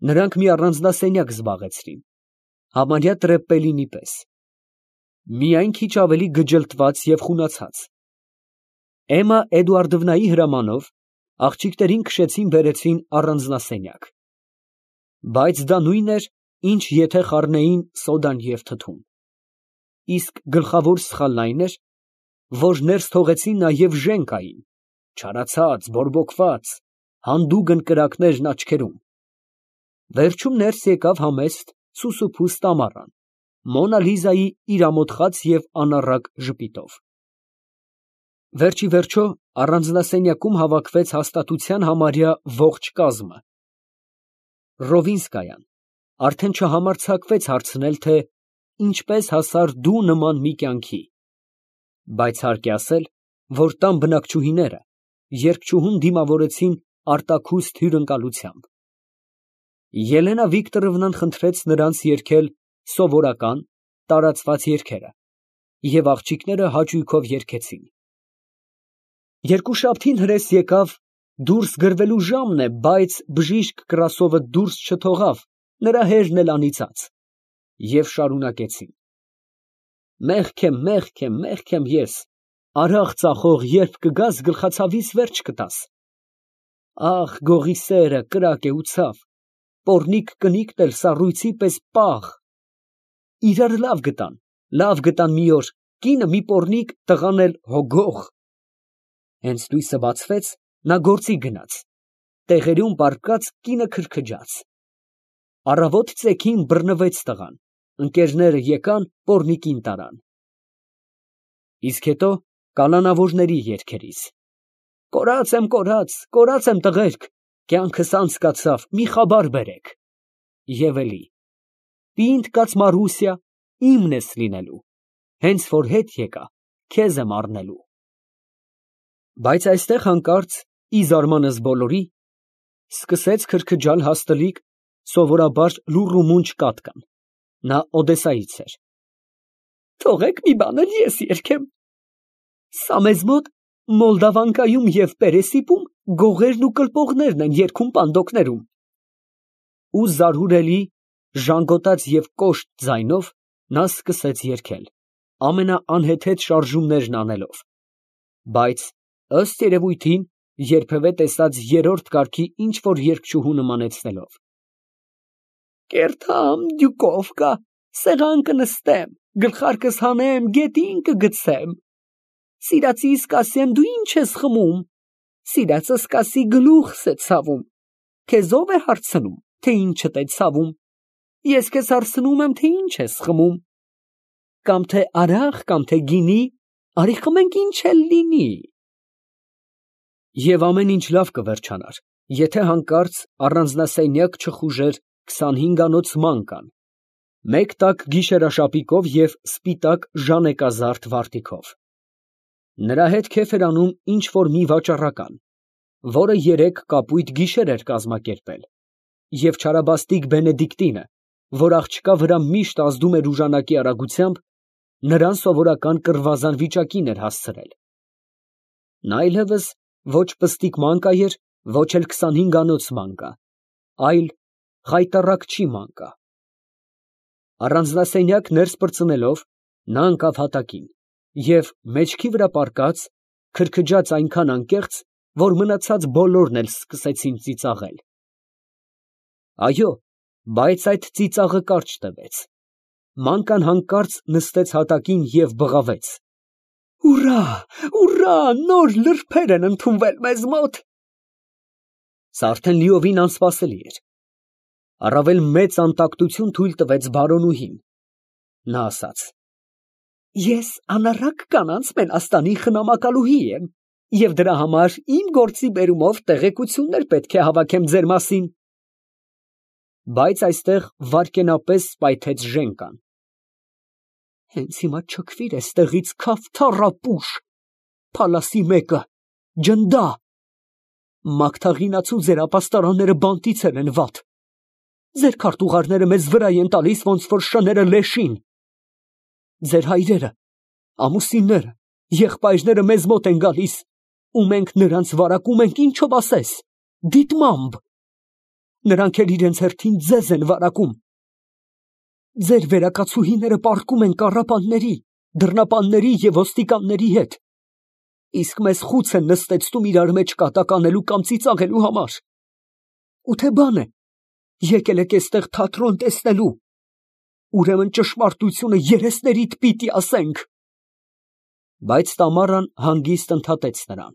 Նրանք մի առանձնասենյակ զբաղեցրին, համարյա տրեպպելինի պես, միայն քիչ ավելի գջլտված և խունացած։ Էմմա Էդուարդովնայի հրամանով աղջիկներին քշեցին բերեցին առանձնասենյակ, բայց դա նույնն էր, ինչ եթե խառնեին սոդան և թթուն, իսկ գլխավոր սխալն այն էր, որ ներս թողեցին նաև Ժենկային, չարացած, բորբոքված, հանդուգն կրակներն աչքերում։ Վերջում ներս եկավ համեստ, սուսուփուս Տամարան, Մոնա Լիզայի իր ամոթխած և անառակ ժպիտով։ Վերջիվերջո առանձնասենյակում հավաքվեց հաստատության համարյա ողջ կազմը։ Ռովինսկայան արդեն չհամարձակվեց հարցնել, թե ինչպես հասար դու նման մի կյանքի, բայց հարկ է ասել, որ տան բնակչուհիները երգչուհուն դիմավորեցին արտաքուստ հյուրընկալությամբ։ Ելենա Վիկտորովնան խնդրեց նրանց երգել սովորական, տարածված երգերը, և աղջիկները հաճույքով երգեցին։ Երկուշաբթին հրես եկավ, դուրս գրվելու ժամն է, բայց բժիշկ Կրասովը դուրս չթողավ, նրա հերն էլ անիծած, և շարունակեցին. Մեղք եմ ես, արաղ ծախող, երբ կգաս գլխացավիս վերջ կտաս։ Ախ, գողի սերը կրակ է ու ցավ, պոռնիկ կնիկն էլ սառույցի պես պաղ։ Իրար լավ գտան մի օր, կինը մի պոռնիկ, տղան էլ հոգող։ Հենց լույսը բացվեց, նա գործի գնաց, տեղերում պառկած կինը քրքջաց։ Առավոտ ծեքին բռնվեց տղան, ընկերները եկան, պոռնիկին տարան։ Իսկ հետո կալանավորների երգերից. Կորած եմ տղերք, կյանքս անցկացավ, մի խաբար բերեք։ Եվ էլի. պինդ կաց Մարուսյա, իմն ես լինելու, հենց որ հետ եկա, քեզ եմ առնելու։ Բայց այստեղ հանկարծ, ի զարմանս բոլորի, սկսեց քրքջալ հաստլիկ, սովորաբար լուռ ու մունջ կատկան, նա Օդեսայից էր։ Թողեք մի բան էլ ես երգեմ։ Սա մեզ մոտ Մոլդավանկայում և Պերեսիպում գողերն ու կլպողներն են երգում պանդոկներում։ Ու զարհուրելի, ժանգոտած և կոշտ ձայնով նա սկսեց երգել, ամենաանհեթեթ շարժումներն անելով, բայց, ըստ երևույթին, երբևէ տեսած երրորդ կարգի ինչ֊որ երգչուհու նմանեցնելով. Կերթամ, դյուկովկա, սեղան կնստեմ, գլխարկս հանեմ, գետին կգցեմ։ Սիրածիս կասեմ, դու ինչ ես խմում, սիրածս կասի գլուխս է ցավում, քեզ ով է հարցնում, թե ինչդ է ցավում, ես քեզ հարցնում եմ, թե ինչ ես խմում, կամ թե արաղ, կամ թե գինի, արի խմենք, ինչ էլ լինի։ Եվ ամեն ինչ լավ կվերջանար, եթե հանկարծ առանձնասենյակ չխուժեր 25-անոց մանկան, մեկ տաք գիշերաշապիկով և սպիտակ ժանեկազարդ վարտիքով։ Նրա հետ քեֆ էր անում ինչ֊որ մի վաճառական, որը երեկ կապույտ գիշեր էր կազմակերպել, և չարաբաստիկ Բենեդիկտինը, որ աղջկա վրա միշտ ազդում էր ուժանակի արագությամբ, նրան սովորական կռվազան վիճակին էր հասցրել։ Նա այլևս ոչ պստիկ մանկա էր, ոչ էլ 25-անոց մանկա, այլ խայտառակչի մանկա։ Առանձնասենյակ ներս պրծնելով, նա ընկավ հատակին և մեջքի վրա պառկած, քրքջաց այնքան անկեղծ, որ մնացած բոլորն էլ սկսեցին ծիծաղել։ Այո, բայց այդ ծիծաղը կարճ տևեց։ Մանկան հանկարծ նստեց հատակին և բղավեց. Ուռա, ուռա, նոր լրբեր են ընդունվել մեզ մոտ։ Սա արդեն լիովին անսպասելի էր։ Առավել մեծ անտակտություն թույլ տվեց բարոնուհին։ Նա ասաց. Ես անառակ կանանց մենաստանի խնամակալուհի եմ, և դրա համար իմ գործի բերումով տեղեկություններ պետք է հավաքեմ ձեր մասին։ Բայց այստեղ վայրկենապես սպայթեց Ժենկան։ Հենց հիմա չքվիր էստեղից, քավթառապուշ, փալասի մեկը, ջնդա, մագթաղինացու ձեր ապաստարանները բանտիցել են վատ, ձեր քարտուղարները մեզ վրա են տալիս, ոնց որ շները լեշին, ձեր հայրերը, ամուսինները, եղբայրները մեզ մոտ են գալիս, ու մենք նրանց վարակում ենք, ինչով ասես, դիտմամբ, նրանք էլ իրենց հերթին ձեզ են վարակում։ Ձեր վերակացուհիները պառկում են կառապանների, դռնապանների և ոստիկանների հետ, իսկ մեզ խուց են նստեցնում իրար մեջ կատակ անելու կամ ծիծաղելու համար։ Ու թե բան է, եկել եք էստեղ թատրոն տեսնելու, ուրեմն ճշմարտությունը երեսներիդ պիտի ասենք։ Բայց Տամարան հանգիստ ընդհատեց նրան.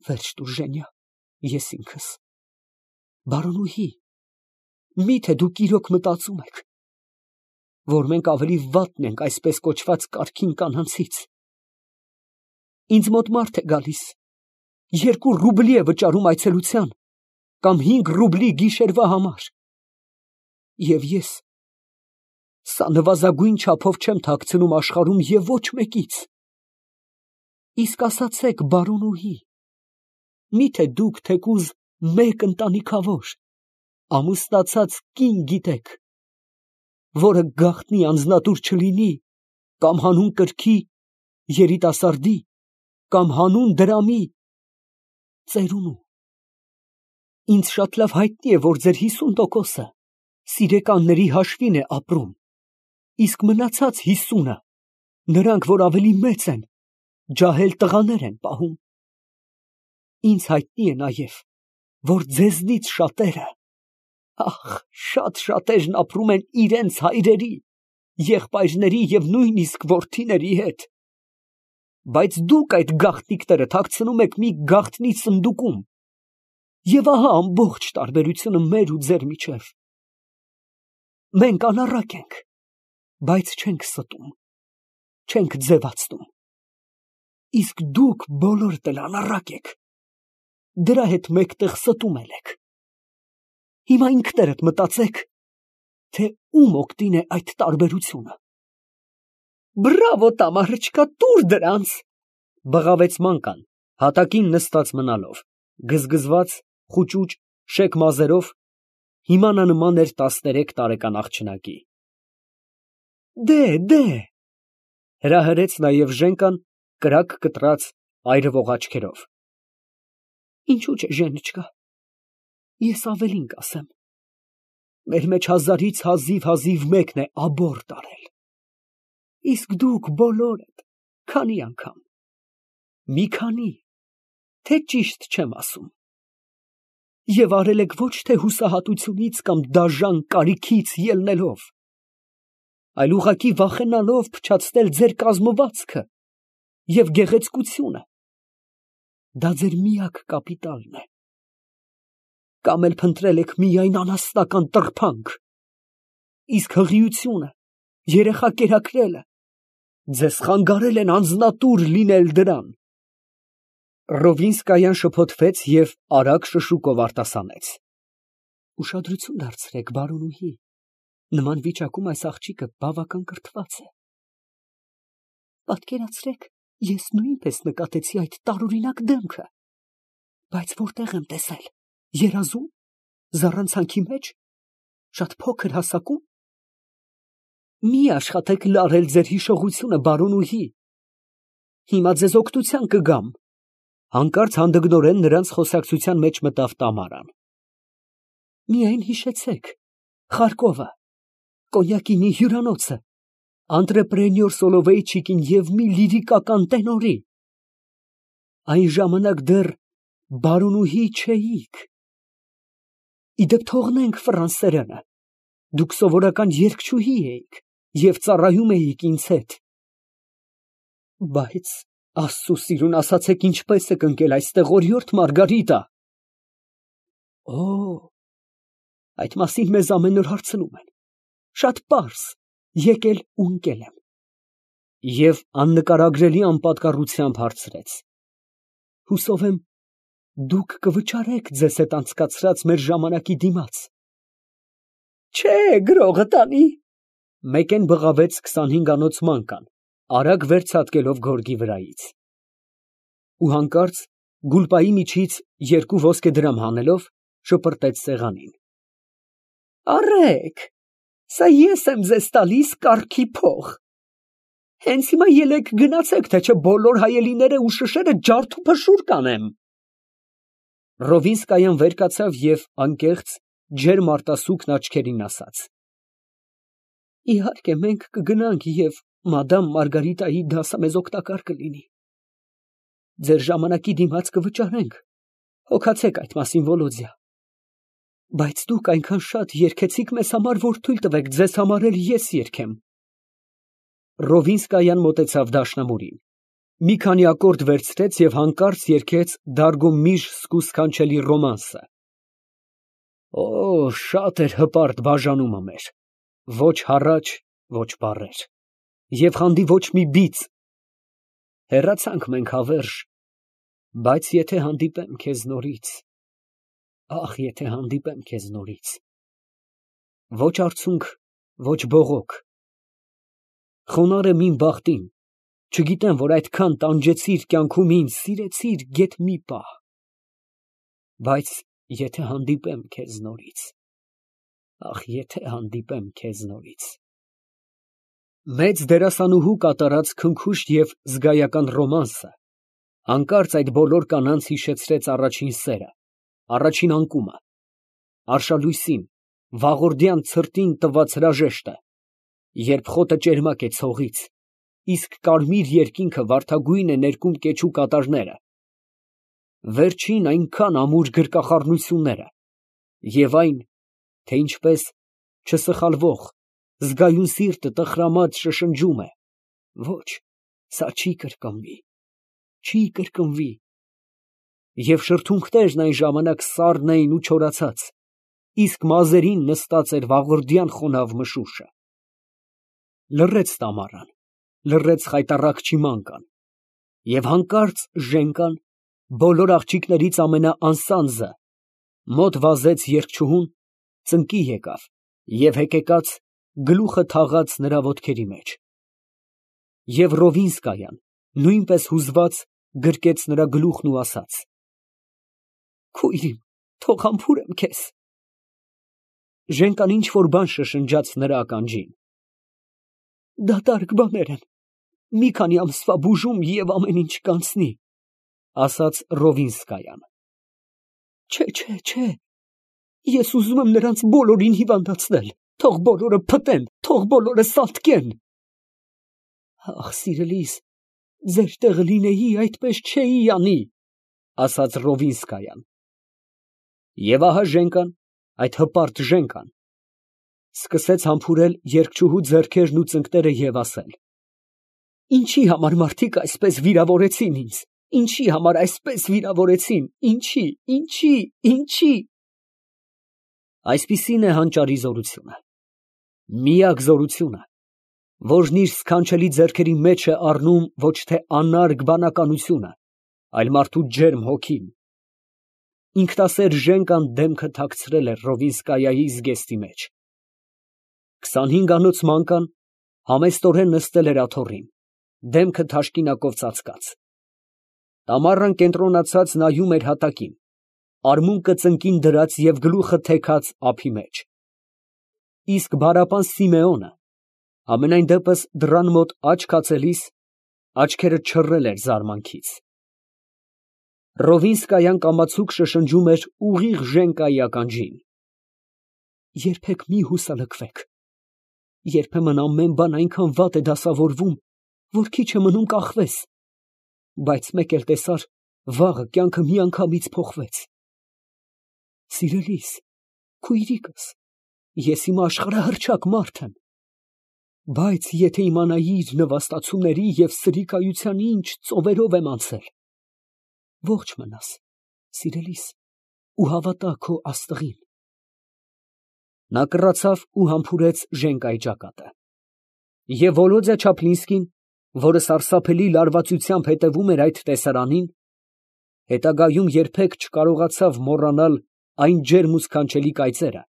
Վերջ տուր, Ժենյա, ես ինքս։ Բարոնուհի, միթե դուք իրոք մտածում եք, որ մենք ավելի վատն ենք այսպես կոչված կարգին կանանցից։ Ինձ մոտ մարդ է գալիս, 2 ռուբլի է վճարում այցելության, կամ 5 ռուբլի գիշերվա համար։ Եվ ես սա նվազագույն չափով չեմ թաքցնում աշխարհում և ոչ մեկից։ Իսկ ասացեք, բարոնուհի, միթե դուք թեկուզ մեկ ընտանիքավոր, ամուսնացած կին գիտեք, որը գաղտնի անձնատուր չլինի, կամ հանուն կրքի, երիտասարդի, կամ հանուն դրամի, ծերունու։ Ինձ շատ լավ հայտնի է, որ ձեր 50%-ը սիրեկանների հաշվին է ապրում, իսկ մնացած 50-ը, նրանք, որ ավելի մեծ են, ջահել տղաներ են պահում։ Ինձ հայտնի է նաև, որ ձեզնից շատերը, շատ շատերն ապրում են իրենց հայրերի, եղբայրների և նույնիսկ որդիների հետ, բայց դուք այդ գաղտնիքները թաքցնում եք մի գաղտնի սնդուկում, և ահա ամբողջ տարբերությունը մեր ու ձեր միջև։ Մենք անառակ ենք, բայց չենք ստում, չենք ձևացնում, իսկ դուք բոլորդ էլ անառակ եք, դրա հետ մեկտեղ ստում եք։ Հիմա ինքներդ մտածեք, թե ում օգտին է այդ տարբերությունը։ Բրավո, Տամարычկա, տուր դրանց, բղավեց Մանկան, հատակին նստած մնալով, գզգզված, խուճուճ, շեկ մազերով, հիմա նա նման էր 13 տարեկան աղջնակի։ Դե, հրահրեց նաև Ժենկան կրակ կտրած այրվող աչքերով։ Ինչու՞ չէ, Ժենիչկա, ես ավելին կասեմ, մեր մեջ 1000-ից հազիվ մեկն է աբորտ արել, իսկ դուք բոլորդ քանի անգամ, մի քանի, թե ճիշտ չեմ ասում, և արել եք ոչ թե հուսահատությունից կամ դաժան կարիքից ելնելով, այլ ուղղակի վախենալով փչացնել ձեր կազմվածքը և գեղեցկությունը, դա ձեր միակ կապիտալն է, կամ էլ փնտրել եք միայն անասնական տրփանք, իսկ հղիությունը, երեխա կերակրելը ձեզ խանգարել են անձնատուր լինել դրան։ Ռովինսկայան շփոթվեց և արագ շշուկով արտասանեց. Ուշադրություն դարձրեք, բարոնուհի, նման վիճակում այս աղջիկը բավական կրթված է։ Պատկերացրեք, ես նույնպես նկատեցի այդ տարօրինակ դեմքը, բայց որտեղ եմ տեսել, երազո՞ւմ, զառանցանքի մեջ, շատ փոքր հասակում։ Մի աշխատեք լարել ձեր հիշողությունը, բարոնուհի, հիմա ձեզ օգնության կգամ։ Հանկարծ հանդգնորեն նրանց խոսակցության մեջ մտավ Տամարան։ Միայն հիշեցեք, Խարկովը, Կոնյակինի հյուրանոցը, անտրեպրենյոր Սոլովեյչիկին և մի լիրիկական տենորի։ Այն ժամանակ դեռ բարոնուհի չէիք։ Իդեպ թողնենք ֆրանսերենը, դուք սովորական երգչուհի էիք և ծառայում էիք ինձ հետ։ Բայց Աստծու սիրուն, ասացեք, ինչպես եք ընկել այստեղ, օրիորդ Մարգարիտա։ Այդ մասին մեզ ամեն օր հարցնում են, շատ պարզ, եկել ու ընկել եմ։ Եվ աննկարագրելի անպատկառությամբ հարցրեց. Հուսով եմ, դուք կվճարեք ձեզ հետ անցկացրած մեր ժամանակի դիմաց։ Չէ, գրողը տանի։ Մեկեն բղավեց 25-անոց Մանկան, արագ վերցատկելով գորգի վրայից։ Ու հանկարծ գուլպայի միջից 2 ոսկեդրամ հանելով, շպրտեց սեղանին։ Առեք, սա ես եմ ձեզ տալիս կառքի փող։ Հենց հիմա ելեք գնացեք, թե չէ բոլոր հայելիները ու շշերը ջարդ ու փշուր կանեմ։ Ռովինսկայան վեր կացավ և անկեղծ, ջերմ արտասուքն աչքերին ասաց. Իհարկե, մենք կգնանք և մադամ Մարգարիտայի դասը մեզ օգտակար կլինի։ Ձեր ժամանակի դիմաց կվճարենք, հոգացեք այդ մասին, Վոլոդյա։ Բայց դուք այնքան շատ երգեցիք մեզ համար, որ թույլ տվեք ձեզ համար էլ ես երգեմ։ Ռովինսկայան մոտեցավ դաշնամուրին, մի քանի ակորդ վերցրեց և հանկարծ երգեց Դարգոմիշ սքանչելի ռոմանսը։ Օ, շատ էր հպարտ բաժանումը մեր, ոչ հառաչ, ոչ բառեր, և խանդի ոչ մի բիծ։ Հեռացանք մենք հավերժ, բայց եթե հանդիպեմ քեզ նորից, ախ, եթե հանդիպեմ քեզ նորից, ոչ արցունք, ոչ բողոք, խոնարհ եմ իմ բախտին, չգիտեմ, որ այդքան տանջեցիր կյանքում ինձ, սիրեցիր գեթ մի պահ, բայց եթե հանդիպեմ քեզ նորից, ախ, եթե հանդիպեմ քեզ նորից։ Մեծ դերասանուհու կատարած քնքուշտ և զգայական ռոմանսը հանկարծ այդ բոլոր կանանց հիշեցրեց առաջին սերը, առաջին անկումը, արշալույսին, վաղորդյան ցրտին տված հրաժեշտը, երբ խոտը ճերմակ է ցողից, իսկ կարմիր երկինքը վարդագույն է ներկում կեչու կատարները, վերջին այնքան ամուր գրկախառնությունները և այն, թե ինչպես չսխալվող, զգայուն սիրտը տխրամած շշնջում է. ոչ, սա չի կրկնվի, չի կրկնվի, և շրթունքներն այն ժամանակ սառն էին ու չորացած, իսկ մազերին նստած էր վաղորդյան խոնավ մշուշը։ Լռեց տամառան, լռեց խայտառակ չիմանկան, և հանկարծ Ժենկան, բոլոր աղջիկներից ամենաանսանձը, մոտ վազեց երգչուհուն, ծնկի եկավ և հեկեկած գլուխը թաղաց նրա ոտքերի մեջ։ Եվ Ռովինսկայան, նույնպես հուզված, գրկեց նրա գլուխն ու ասաց. Քույր իմ, թող համբուրեմ քեզ։ Ժենկան ինչ֊որ բան շշնջաց նրա ականջին։ Դատարկ բաներ են, մի քանի ամսվա բուժում և ամեն ինչ կանցնի, ասաց Ռովինսկայան։ Չէ, ես ուզում եմ նրանց բոլորին հիվանդացնել, թող բոլորը փտեն, թող բոլորը սատկեն։ Ախ, սիրելիս, ձեր տեղը լինեի, այդպես չէի անի, ասաց Ռովինսկայան։ Եվ ահա Ժենկան, այդ հպարտ Ժենկան, սկսեց համբուրել երգչուհու ձեռքերն ու ծնկները և ասել. Ինչի համար մարդիկ այսպես վիրավորեցին ինձ, ինչի համար այսպես վիրավորեցին, ինչի։ Այսպիսին է հանճարի զորությունը, միակ զորությունը, որն իր սքանչելի ձեռքերի մեջ է առնում ոչ թե անարգ բանականությունը, այլ մարդու ջերմ հոգին։ Ինքնասեր Ժենկան դեմքը թաքցրել էր Ռովինսկայայի զգեստի մեջ։ 25-անոց մանկան համեստորեն նստել էր աթոռին, դեմքը թաշկինակով ծածկած։ Տամառան կենտրոնացած նայում էր հատակին, արմունկը ծնկին դրած և գլուխը թեքած ափի մեջ։ Իսկ բարապան Սիմեոնը, համենայն դեպս դռան մոտ աչք հացելիս, աչքերը չռել էր զարմանքից։ Ռովինսկայան կամացուկ շշնջում էր ուղիղ Ժենկայի ականջին. երբեք մի հուսալքվեք, երբեմն ամեն բան այնքան վատ է դասավորվում, որ քիչ է մնում կախվես, բայց մեկ էլ տեսար, վաղը կյանքը միանգամից փոխվեց։ Սիրելիս, քույրիկս, ես իմ աշխարհահռչակ մարդ եմ, բայց եթե իմանայիր նվաստացումների և սրի կայության ինչ ծովերով եմ անցել, ողջ մնաս, սիրելիս, ու հավատա քո աստղին։ Նա կռացավ ու համբուրեց Ժենկայի ճակատը։ Եվ Վոլոդյա Չապլինսկին, որը սարսափելի լարվածությամբ հետևում էր այդ տեսարանին, հետագայում երբեք չկարողացավ մոռանալ այն ջերմ ու սքանչելի կայծերը,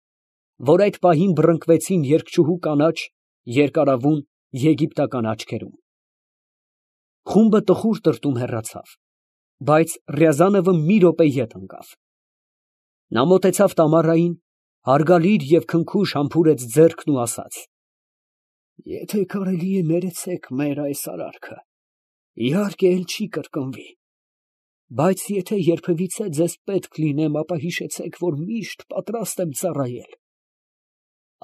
որ այդ պահին բռնկվեցին երգչուհու կանաչ, երկարավուն եգիպտական աչքերում։ Խումբը տխուր տրտում հեռացավ, բայց Ռյազանովը մի րոպե ետ ընկավ։ Նա մոտեցավ Տամարային, հարգալից և քնքուշ համբուրեց ձեռքն ու ասաց. Եթե կարելի է ներեցեք մեր այս արարքը, իհարկե էլ չի կրկնվի։ Բայց եթե երբևիցե ձեզ պետք լինեմ, ապա հիշեցեք, որ միշտ պատրաստ եմ ծառայել։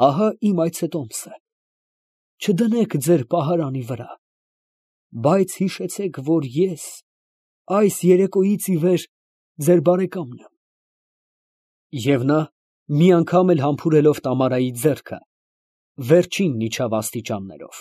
Ահա իմ այցետոմսը. չդնեք ձեր պահարանի վրա, բայց հիշեցեք, որ ես այս երեկոյից ի վեր ձեր բարեկամն եմ։ Եվ նա, մի անգամ էլ համբուրելով Տամարայի ձեռքը, վերջինն իջավ աստիճաններով։